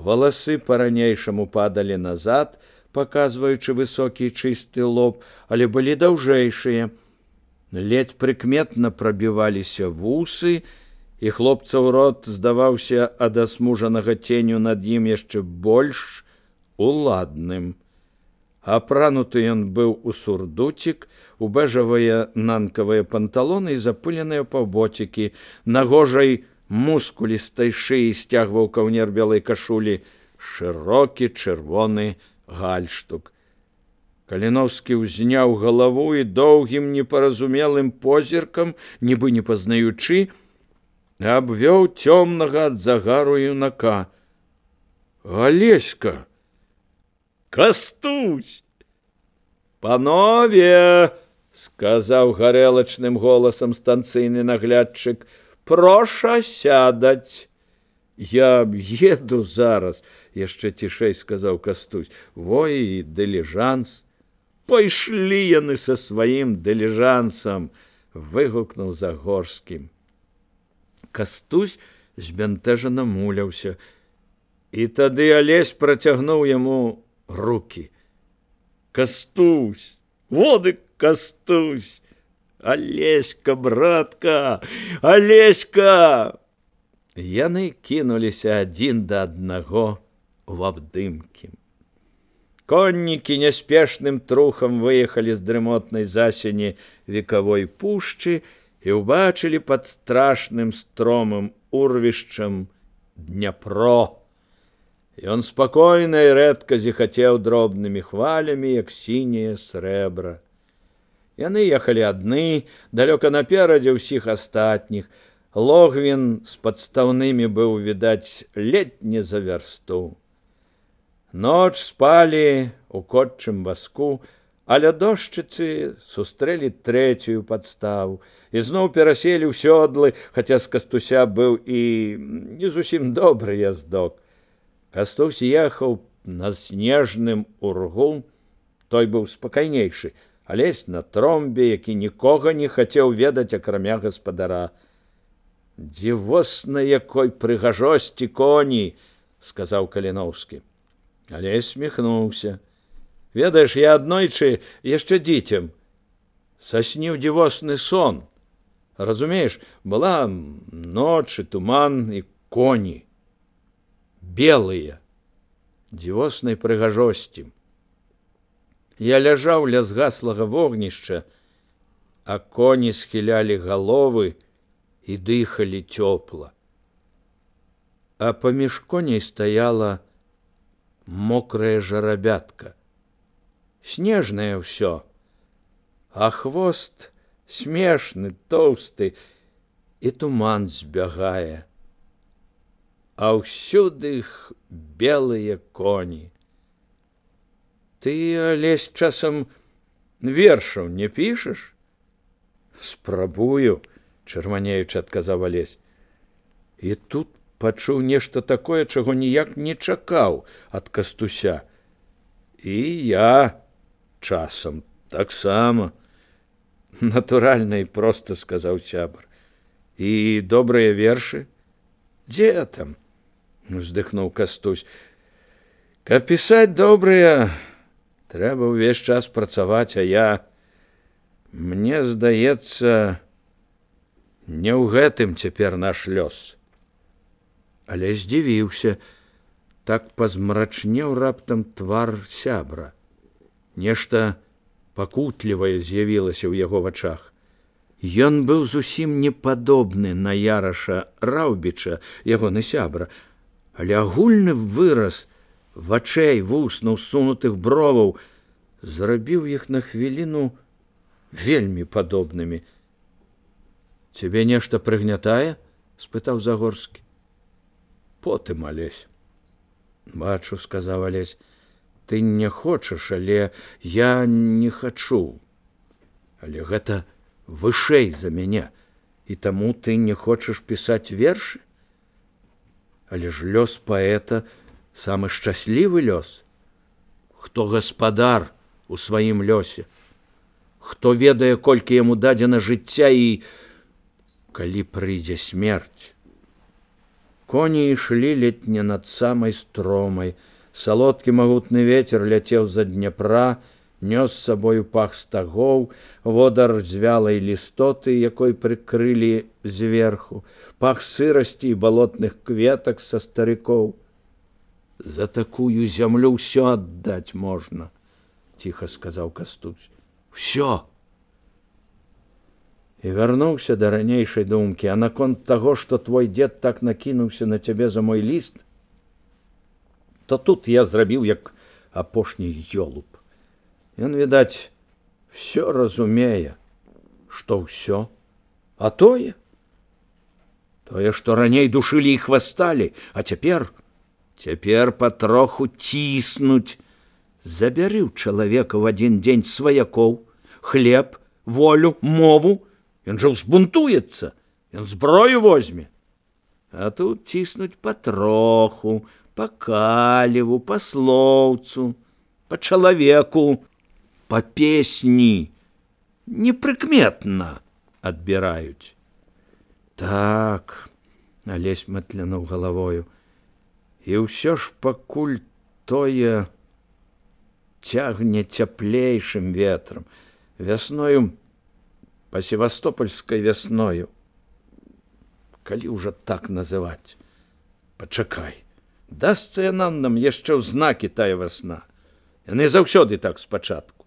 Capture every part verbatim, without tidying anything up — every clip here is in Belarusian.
Валасы па-ранейшаму падалі назад, паказваючы высокі чысты лоб, але былі даўжэйшыя. Ледзь прыкметна прабіваліся вусы, і хлопцаў рот здаваўся ад асмужанага ценю над ім яшчэ больш уладным. Апрануты ён быў у сурдуцік, у бэжавыя нанкавыя панталоны і запыленыя паўботікі. На гожай мускулістай шыі сцягваў каўнер белай кашулі шырокі чырвоны гальштук. Каліноўскі ўзняў галаву і доўгім непаразумелым позіркам, нібы не пазнаючы, абвёў цёмнага ад загару юнака. Алеська! Кастусь! Панове! Сказаў гарэлачным голасам станцыйны наглядчык. Проша сядаць. Я еду зараз, яшчэ цішэй сказаў Кастусь. Во і дыліжанс. Пайшлі яны са сваім дыліжансам, выгукнуў Загорскім. Кастусь збянтэжана муляўся, і тады Алесь працягнуў яму рукі. Кастусь, воды Кастусь, Алеська, братка, Алеська! Яны кінуліся адзін да аднаго ў абдымкі. Коннікі няспешным трухам выехалі з дрымотнай засені векавой пушчы і ўбачылі пад страшным стромым урвішчам Дняпро. Ён спакойна і рэдка зіхацеў дробнымі хвалямі, як сіняе срэбра. Яны ехалі адны, далёка наперадзе ўсіх астатніх. Логвін з падстаўнымі быў, відаць, ледзь не за вярсту. Ноч спалі у котчым васку, а ля дошчыцы сустрэлі трэцюю падставу і зноў пераселі ў сёдлы, хаця з Кастуся быў і не зусім добры яздок. Кастусь ехаў на снежным ургу, той быў спакайнейшы, Алесь на тромбе, які нікога не хацеў ведаць, акрамя гаспадара. «Дзівосна якой прыгажосці коні!» – сказаў Каліноўскі. Алесь сміхнуўся. «Ведаеш, я аднойчы яшчэ дзіцем сасніў дзівосны сон. Разумееш, была ноч і туман і коні. Белыя, дзівоснай прыгажосці. Я ляжаў ля згаслага вогнішча, а коні схілялі галовы і дыхалі цёпла. А паміж коней стаяла мокрая жарабятка. Снежнае ўсё, а хвост смешны, тоўсты, і туман збягае. А ўсюды іх белыя коні. Ты, Алесь, часам вершаў не пішаш? Спрабую, чырванеючы адказаў Алесь. І тут пачуў нешта такое, чаго ніяк не чакаў ад Кастуся. І я часам таксама. Натуральна і проста, сказаў сябар. І добрыя вершы? Дзе там? Уздыхнуў Кастусь. Каб пісаць добрыя, трэба ўвесь час працаваць, а я, мне здаецца, не ў гэтым цяпер наш лёс. Але здзівіўся, так пазмрачнеў раптам твар сябра. Нешта пакутлівае з'явілася ў яго вачах. Ён быў зусім не падобны на Яраша Раўбіча, ягоны сябра, але агульны выраз вачэй, вуснаў, сунутых броваў зрабіў іх на хвіліну вельмі падобнымі. Цябе нешта прыгнятае? – спытаў Загорскі. Потым, Алесь. Бачу, сказаў Алесь, ты не хочаш, але я не хачу. Але гэта вышэй за мяне, і таму ты не хочаш пісаць вершы? Але ж лёс паэта самы шчаслівы лёс. Хто гаспадар у сваім лёсе, хто ведае, колькі яму дадзена жыцця і калі прыйдзе смерць. Коні ішлі ледь не над самай стромай. Салодкі магутны вецер ляцеў за Дняпра, нёс з сабою пах стагоў, водар звялай лістоты, якой прыкрылі зверху, пах сырасці і балотных кветак са старыкоў. За такую зямлю ўсё аддаць можна, ціха сказаў Кастусь. Усё. І вярнуўся да ранейшай думкі, а наконт таго, што твой дзед так накінуўся на цябе за мой ліст, то тут я зрабіў як апошні ёлуб. Ён, відаць, всё разумее, што ўсё, а тое, тое, што раней душылі і хвасталі, а цяпер, цяпер патроху ціснуць. Забяры ў чалавека в адзін дзень сваякоў, хлеб, волю, мову, ён жа ўзбунтуецца, ён зброю возьме. А тут ціснуць патроху, па каліву, па слоўцу, па чалавеку, па песні, непрыкметна адбіраюць. Так, Алесь матлянуў галавою, і ўсё ж пакуль тое цягне цяплейшым ветрам, вясною, па севастопольскай вясною. Калі ўжо так называць? Пачакай, дасца яна нам яшчэ ў знакі тая вясна. Яны заўсёды так спачатку.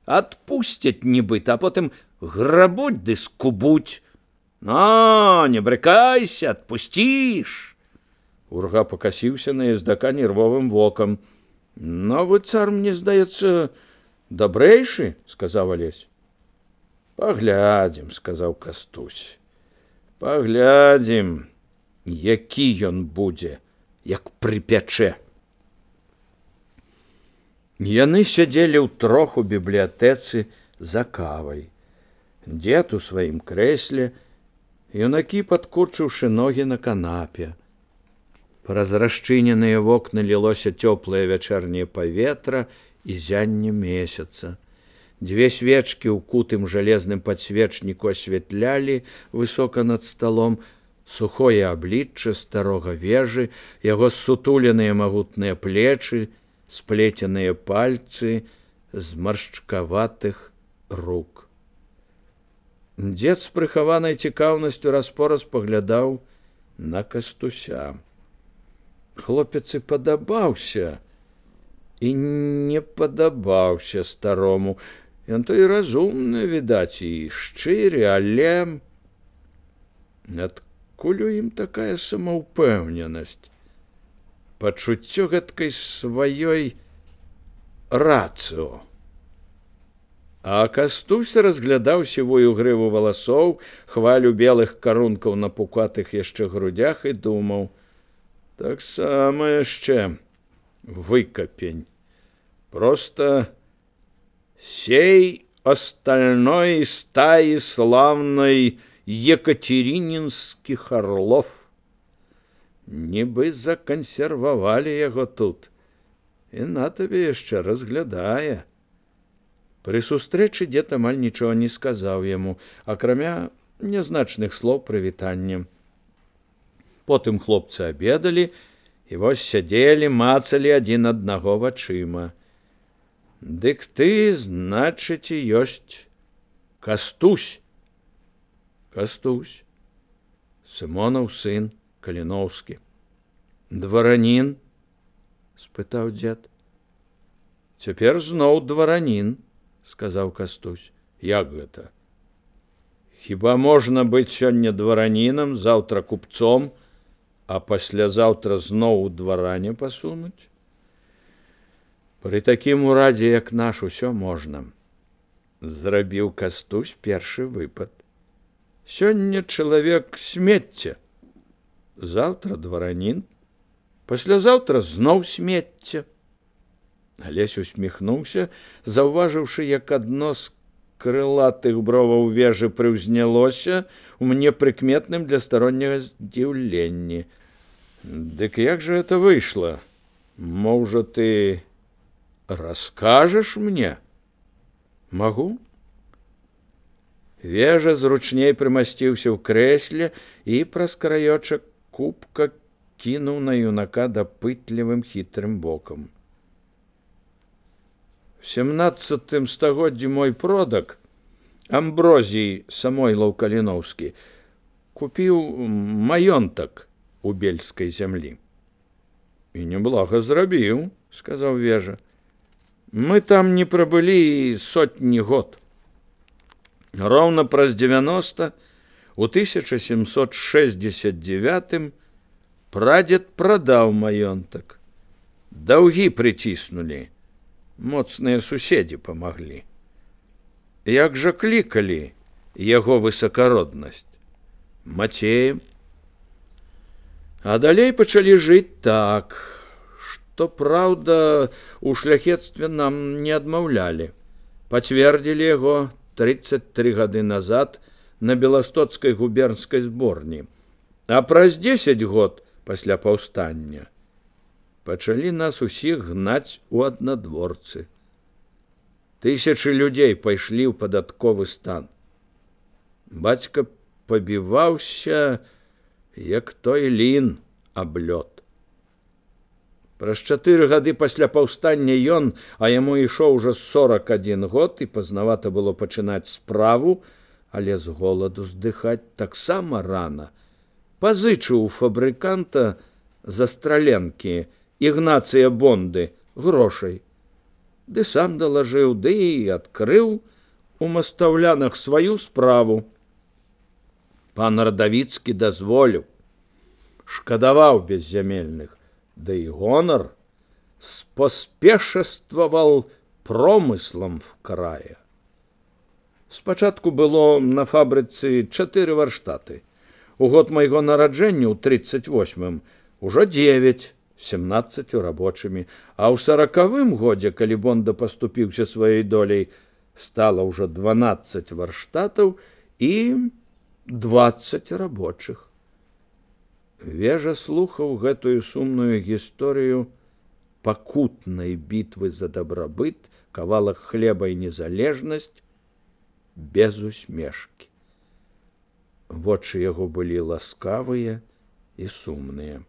Адпусцяць нібыта, а потым грабуць ды скубуць. Но, не брыкайся, адпусціш. Урга пакасіўся на ездака нервовым вокам. Новы цар, мне здаецца, дабрэйшы, сказаў Алесь. Паглядзім, сказаў Кастусь. Паглядзім, які ён будзе, як прыпячэ. Яны сядзелі ўтрох у бібліятэцы за кавай. Дзед у сваім крэсле, юнакі падкурчыўшы ногі на канапе. Праз расчыненыя вокны лілося цёплае вячэрняе паветра і зянне месяца. Дзве свечкі ў кутым жалезным падсвечніку асвятлялі высока над сталом сухое аблічча старога вежы, яго ссутуленыя магутныя плечы, сплеценыя пальцы з маршчкаватых рук. Дзед з прыхаванай цікаўнасцю раз-пораз паглядаў на Кастуся. Хлопец і падабаўся, і не падабаўся старому. Ён то і разумны, відаць, і шчыры, але адкуль у ім такая самаўпэўненасць? Пачуццё гэткай сваёй рацыо. А Кастусь разглядаў сівую грыву валасоў, хвалю белых карункаў на пукатых яшчэ грудях і думаў: таксама яшчэ выкапень. Просто сей остальной стаи славной екатерининских орлов. Нібы законсервавалі яго тут, і на табе яшчэ разглядае. Пры сустрэчы дзед амаль нічога не сказаў яму, акрамя нязначных слоў прывітання. Потым хлопцы абедалі, і вось сядзелі, мацалі адзін аднаго вачыма. Дык ты, значыць, і ёсць Кастусь. Кастусь, Сымонаў сын, Каліноўскі. Дваранін? Спытаў дзед. Цяпер зноў дваранін, сказаў Кастусь. Як гэта? Хіба можна быць сёння дваранінам, заўтра купцом, а паслязаўтра зноў у дваране пасунуць? Пры такім урадзе, як наш, усё можна. Зрабіў Кастусь першы выпад. Сёння чалавек смецце, заўтра дваранін, паслязаўтра зноў смецце. Алесь усміхнуўся, заўважыўшы, як адно з крылатых броваў вежы прыўзнялося ў непрыкметным для старонняга здзіўленні. Дык як жа это выйшла? Можа, ты раскажаш мне? Магу? Вежа зручней прымасціўся ў крэсле і праз краёчак кубка кінуў на юнака дапытлівым хітрым бокам. В семнадцатым стагоддзі мой продак, Амброзій Самойлаў Каліноўскі, купіў маёнтак у бельскай зямлі. І неблага зрабіў, сказаў Вежа. Мы там не прабылі і сотні год. Роўна праз дзевяноста, у тысяча сямсот шэсцьдзесят дзевятым прадзед прадаў маёнтак. Даўгі прыціснулі, моцныя суседзі памаглі. Як жа клікалі яго высакароднасць? Мацеем. А далей пачалі жыць так, што, праўда, у шляхецтве нам не адмаўлялі. Пацвердзілі яго трыццаць тры гады назад на Беластоцкай губернскай зборні, а праз дзесяць год пасля паўстання пачалі нас усіх гнаць у аднадворцы. Тысячы людзей пайшлі ў падатковы стан. Бацька пабіваўся, як той лін аб лёд. Праз чатыры гады пасля паўстання ён, а яму ішоў ужо сорак адзін год, і пазнавата было пачынаць справу, але з голаду здыхаць таксама рана. Пазычыў у фабрыканта застраленкі Ігнацыя Бонды грошай. Ды сам далажыў, ды і адкрыў у мастаўлянах сваю справу. Пан Радавіцкі дазволіў, шкадаваў беззямельных, да і гонар спаспешествавал промыслам в крае. Спачатку было на фабрыцы чатыры варштаты. У год майго нараджэння ў трыццаць восьмым ужо дзевяць, семнаццаццю рабочымі, а ў саракавым годзе, калі Бонда паступіўся сваёй доляй, стала ўжо дванаццаць варштатаў і дваццаць рабочых. Вежа слухаў гэтую сумную гісторыю пакутнай бітвы за дабрабыт, кавалак хлеба і незалежнасць без усмешкі. Вочы яго былі ласкавыя і сумныя.